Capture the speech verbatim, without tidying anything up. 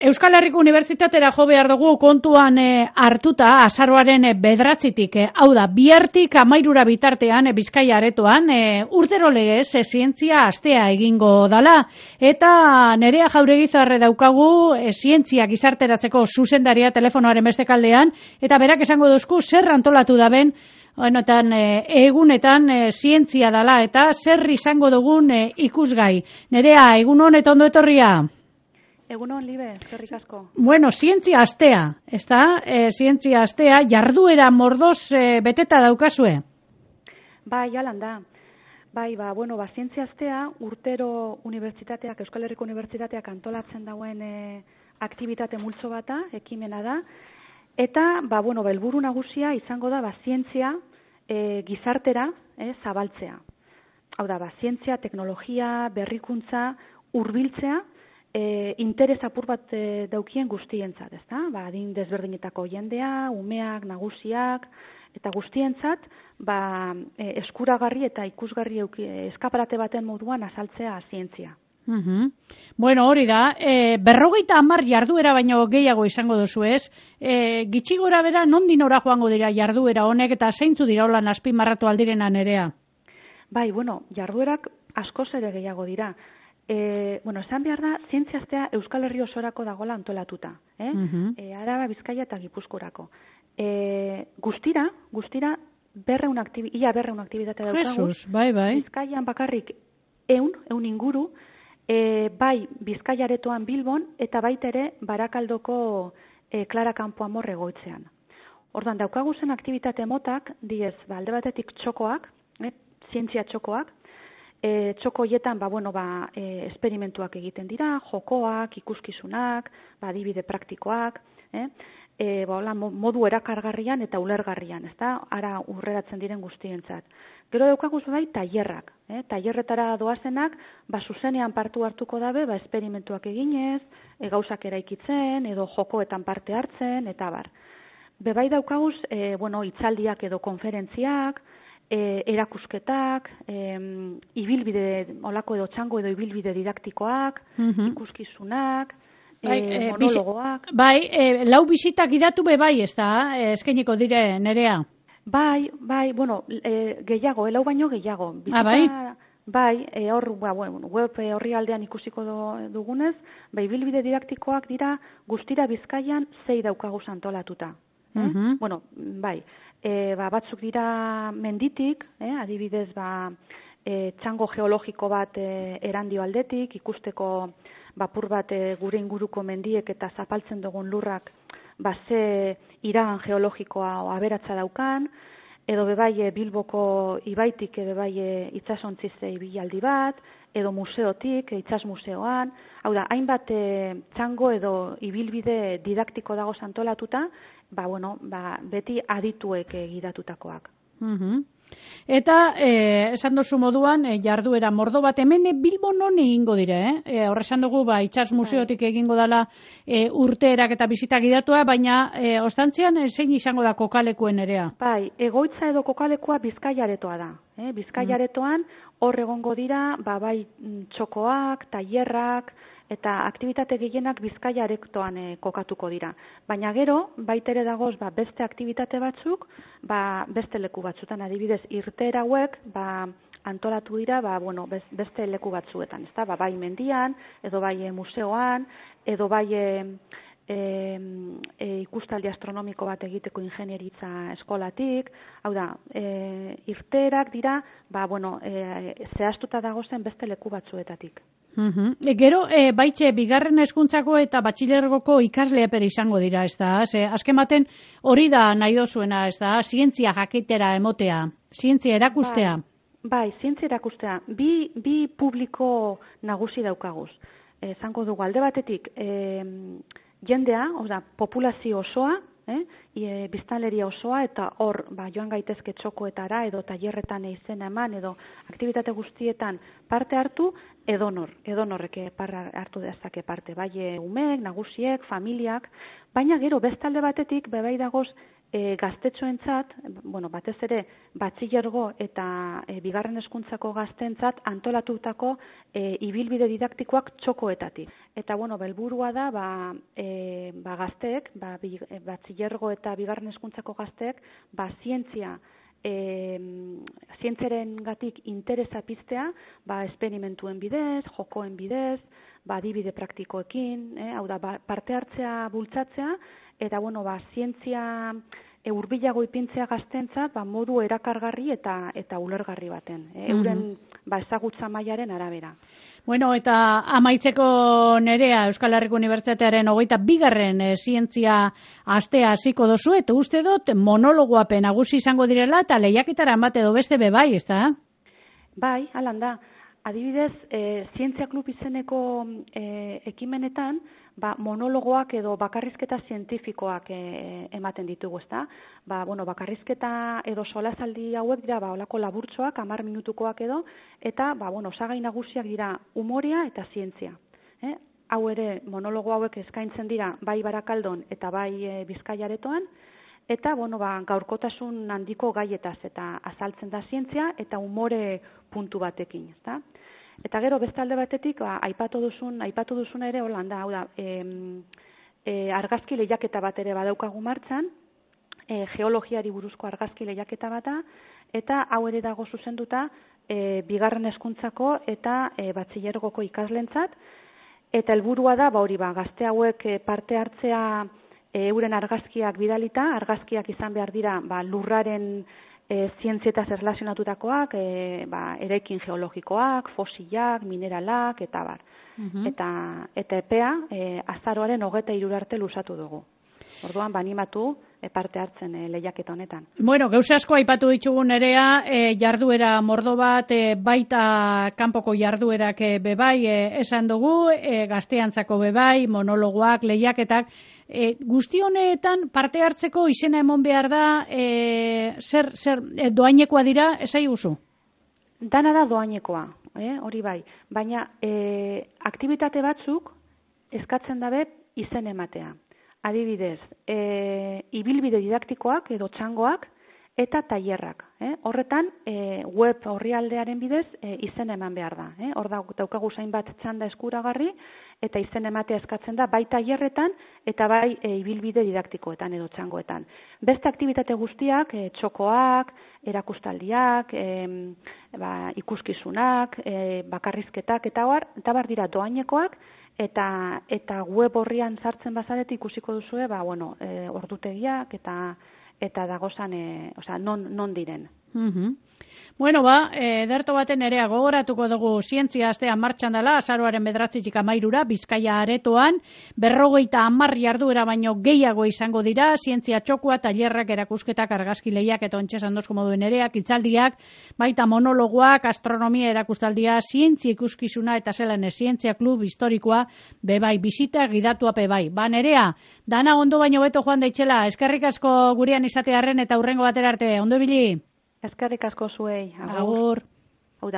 Euskal Herriko Unibertsitatera jo behar dugu kontuan e, hartuta azaroaren e, bederatzitik, e, hau da, bihartik amairura bitartean e, Bizkaia aretoan e, urtero legez e, zientzia astea egingo dala. Eta Nerea Jauregizarre daukagu e, zientzia gizarteratzeko zuzendaria telefonoaren beste kaldean, eta berak esango duzku zer antolatu daben, Honetan, e, egunetan e, zientzia dala eta zer izango dugun e, ikusgai. Nerea, egun hon eta ondo etorria? Egun hon, Libe, eskerrik asko. Bueno, zientzia astea, ez da? E, zientzia astea, jarduera mordoz e, beteta daukazue? Bai, jalan da. Bai, ba, bueno, ba, zientzia astea urtero unibertsitateak, Euskal Herriko Unibertsitateak antolatzen dauen e, aktibitate multzo bata, ekimena da. Eta, ba, bueno, ba, helburu nagusia izango da, ba, zientzia e, gizartera e, zabaltzea. Hau da, ba, zientzia, teknologia, berrikuntza, hurbiltzea, E, interes apur bat e, daukien guztientzat, ezta? Ba, adin desberdinetako jendea, umeak, nagusiak, eta guztientzat, ba, e, eskuragarri eta ikusgarri euki, eskaparate baten moduan azaltzea zientzia. Uhum. Bueno, hori da, e, berrogeita hamar jarduera baino gehiago izango duzu ez, e, gitxi gora bera nondin ora joango dira jarduera honek eta zeintzu dira holan azpimarratu aldirena Nerea? Bai, bueno, jarduerak askoz ere gehiago dira. E, bueno, esan behar da, zientzia astea Euskal Herri osorako dagoela antolatuta. Eh? Uh-huh. e, Araba, Bizkaia eta Gipuzkoarako. E, guztira, guztira, berreun aktibi, ia berreun aktibitate daukagu. Jesus, bai, bai. Bizkaian bakarrik eun, eun inguru, e, bai Bizkaia aretoan Bilbon, eta baita ere Barakaldoko e, Klara Kanpo Amor egoitzean. Ordan daukagu zen aktibitate motak, diez, ba, alde batetik txokoak, eh, zientzia txokoak, E, txoko hietan, ba, bueno, ba, e, esperimentuak egiten dira, jokoak, ikuskizunak, ba, adibide praktikoak, eh? e, ba, hola, modu erakargarrian eta ulergarrian, ezta? Ara urreratzen diren guztientzat. Gero daukaguz bai, tailerrak, eh? Tailerretara doazenak, ba, zuzenean partu hartuko dabe, ba, esperimentuak eginez, e, gauzak eraikitzen, edo jokoetan parte hartzen, eta bar. Bebai daukaguz, e, bueno, hitzaldiak edo konferentziak, E, erakusketak, e, ibilbide, olako edo txango edo ibilbide didaktikoak, uh-huh. ikuskizunak, bai, e, monologoak. Bai, e, lau bisitak gidatu be bai, ez da, eskainiko dire, Nerea? Bai, bai, bueno, e, gehiago, e, lau baino gehiago. Ah, bai? Bai, e, hor, ba, bueno, web horri aldean ikusiko do, dugunez, bai, ibilbide didaktikoak dira guztira Bizkaian zei daukaguz antolatuta. Eh? Uh-huh. Bueno, bai, e, ba, batzuk dira menditik, eh? Adibidez, ba, e, txango geologiko bat e, erandio aldetik, ikusteko bapur bat e, gure inguruko mendiek eta zapaltzen dugun lurrak ba, ze iragan geologikoa aberatza daukan, edo bebai e, Bilboko ibaitik edo bebai e, itsasontzize ibilaldi bat, edo museotik, itsas museoan, hau da, hainbat e, txango edo ibilbide didaktiko dago antolatuta, ba, bueno, ba, beti adituek e, gidatutakoak. Uh-huh. Eta, eh, esan dozu moduan, eh, jarduera mordo bat, hemen eh, Bilbon non egingo dire, eh? eh Horre esan dugu, ba, itsas museotik egingo dala eh, urteerak eta bizitak gidatua, baina eh, ostantzian eh, zein izango da kokalekuen Nerea? Bai, egoitza edo kokalekua Bizkaia aretoa da. Eh? Bizkaia aretoan hor egongo dira, ba, bai txokoak, tailerrak, eta aktibitate gehienak Bizkaia aretoan e, kokatuko dira. Baina gero, baitere dagoz, ba, beste aktibitate batzuk, ba, beste leku batzutan, adibidez, irteera hauek, ba, antolatu dira, ba, bueno, beste leku batzuetan, ezta? Ba, bai mendian, edo bai e, museoan, edo bai e, e, e, ikustaldi astronomiko bat egiteko ingenieritza eskolatik, hau da, e, irteerak dira, ba, bueno, e, zehaztuta dagozen beste leku batzuetatik. Uh-huh. E, gero, e, baitxe, bigarren hezkuntzako eta batxilergoko ikasle epere izango dira, ez da? Ze, azken baten hori da nahi dozuena, ez da? Zientzia jakitera emotea, zientzia erakustea. Bai, bai, zientzia erakustea. Bi, bi publiko nagusi daukaguz. Esango dugu, alde batetik, e, jendea, oza, populazio osoa, eh? E, biztanleria osoa, eta hor ba, joan gaitezke txokoetara edo tailerretan izena eman edo aktibitate guztietan parte hartu, edonor, edonorrek parra hartu dezake parte, bai umeek, nagusiek, familiak, baina gero bestalde batetik bebai dagoz e, gaztetxoentzat, bueno, batez ere batxilergo eta e, bigarren hezkuntzako gazteentzat antolatutako e, ibilbide didaktikoak txokoetatik. Eta bueno, helburua da ba, e, ba gazteek, ba, bi, e, batxilergo eta bigarren hezkuntzako gazteek, ba zientzia E, zientziaren gatik interesa piztea, ba, esperimentuen bidez, jokoen bidez, ba, adibide praktikoekin, eh, hau da, ba, parte hartzea bultzatzea, eta, bueno, ba, zientzia e, hurbilago ipintzea gaztentzat, ba, modu erakargarri eta eta ulergarri baten, eh, euren ba, ezagutza mailaren arabera. Bueno, eta amaitzeko Nerea, Euskal Herriko Unibertsitatearen hogeita bigarren e, zientzia astea hasiko dozu, eta uste dut monologoapen nagusi izango direla, eta lehiaketara emate edo beste bebai, ez da? Bai, halan da. Adibidez, e, Zientzia Klub izeneko e, ekimenetan, ba, monologoak edo bakarrizketa zientifikoak e, ematen ditugu, ezta? Ba, bueno, bakarrizketa edo solasaldi hauek dira, ba, olako laburtxoak, hamar minutukoak edo, eta, ba, bueno, osagai nagusiak dira umorea eta zientzia. Eh? Hau ere, monologo hauek eskaintzen dira, bai Barakaldon eta bai e, Bizkaiaretoan, eta, bueno, ba, gaurkotasun handiko gaietaz eta azaltzen da zientzia eta umore puntu batekin, ezta? Eta gero beste alde batetik, ba, aipatu duzun, aipatu duzun ere Holanda, hau da, em, e, argazki lehiaketa bat ere badaukagu martxan, e, geologiari buruzko argazki lehiaketa bata, eta hau ere dago zuzenduta e, bigarren hezkuntzako eta e, batxilergoko ikaslentzat, eta helburua da, ba hori ba, gazte hauek parte hartzea e, euren argazkiak bidalita, argazkiak izan behar dira ba, lurraren e, zientzietaz erlazionatutakoak, e, ba, eraikin geologikoak, fosilak, mineralak, eta bar. Uh-huh. Eta, eta epea e, azaroaren hogeta hirura arte luzatu dugu. Orduan, banimatu e, parte hartzen e, lehiaketa honetan. Bueno, gauza asko aipatu ditugu Nerea, e, jarduera mordo bat, e, baita kanpoko jarduerak e, bebai, e, esan dugu, e, gazteantzako bebai, monologoak, lehiaketak, e, guzti honetan parte hartzeko izena emon behar da, e, zer, zer e, doainekoa dira, esai guzu? Dana da doainekoa, eh, hori bai, baina e, aktibitate batzuk eskatzen dabe izen ematea. Adibidez, e, ibilbide didaktikoak edo txangoak eta tailerrak. Eh? Horretan, e, web orrialdearen bidez e, izen eman behar da. Eh? Hor daukagu zainbat txanda eskuragarri eta izen ematea eskatzen da bai tailerretan eta bai e, ibilbide didaktikoetan edo txangoetan. Beste aktibitate guztiak, e, txokoak, erakustaldiak, e, ba, ikuskizunak, e, bakarrizketak eta bar, eta bar dira doainekoak, eta eta web horrian sartzen bazarete ikusiko duzue, ba bueno, e, ordutegiak eta eta dagozan, e, osea, non non diren. Mhm. Bueno, ba, ederto baten Nerea gogoratuko dugu zientzia astea martxan dela, azaroaren bederatzitik hamairura, Bizkaia aretoan, berrogeita hamar jarduera baino gehiago izango dira, zientzia txokua, tailerrak, erakusketak, argazki lehiak eta ontsa esan dozko moduen Nereak, hitzaldiak, baita monologoak, astronomia erakustaldia, zientzia ikuskizuna eta zelan zientzia klub historikoa, bebai, bizita gidatua bebai. Ba, Nerea, dana ondo baino beto joan daitxela, eskerrik asko gurean izatearren eta hurrengo batera arte, ondo ibili? Eskerrik asko zuei. Agur.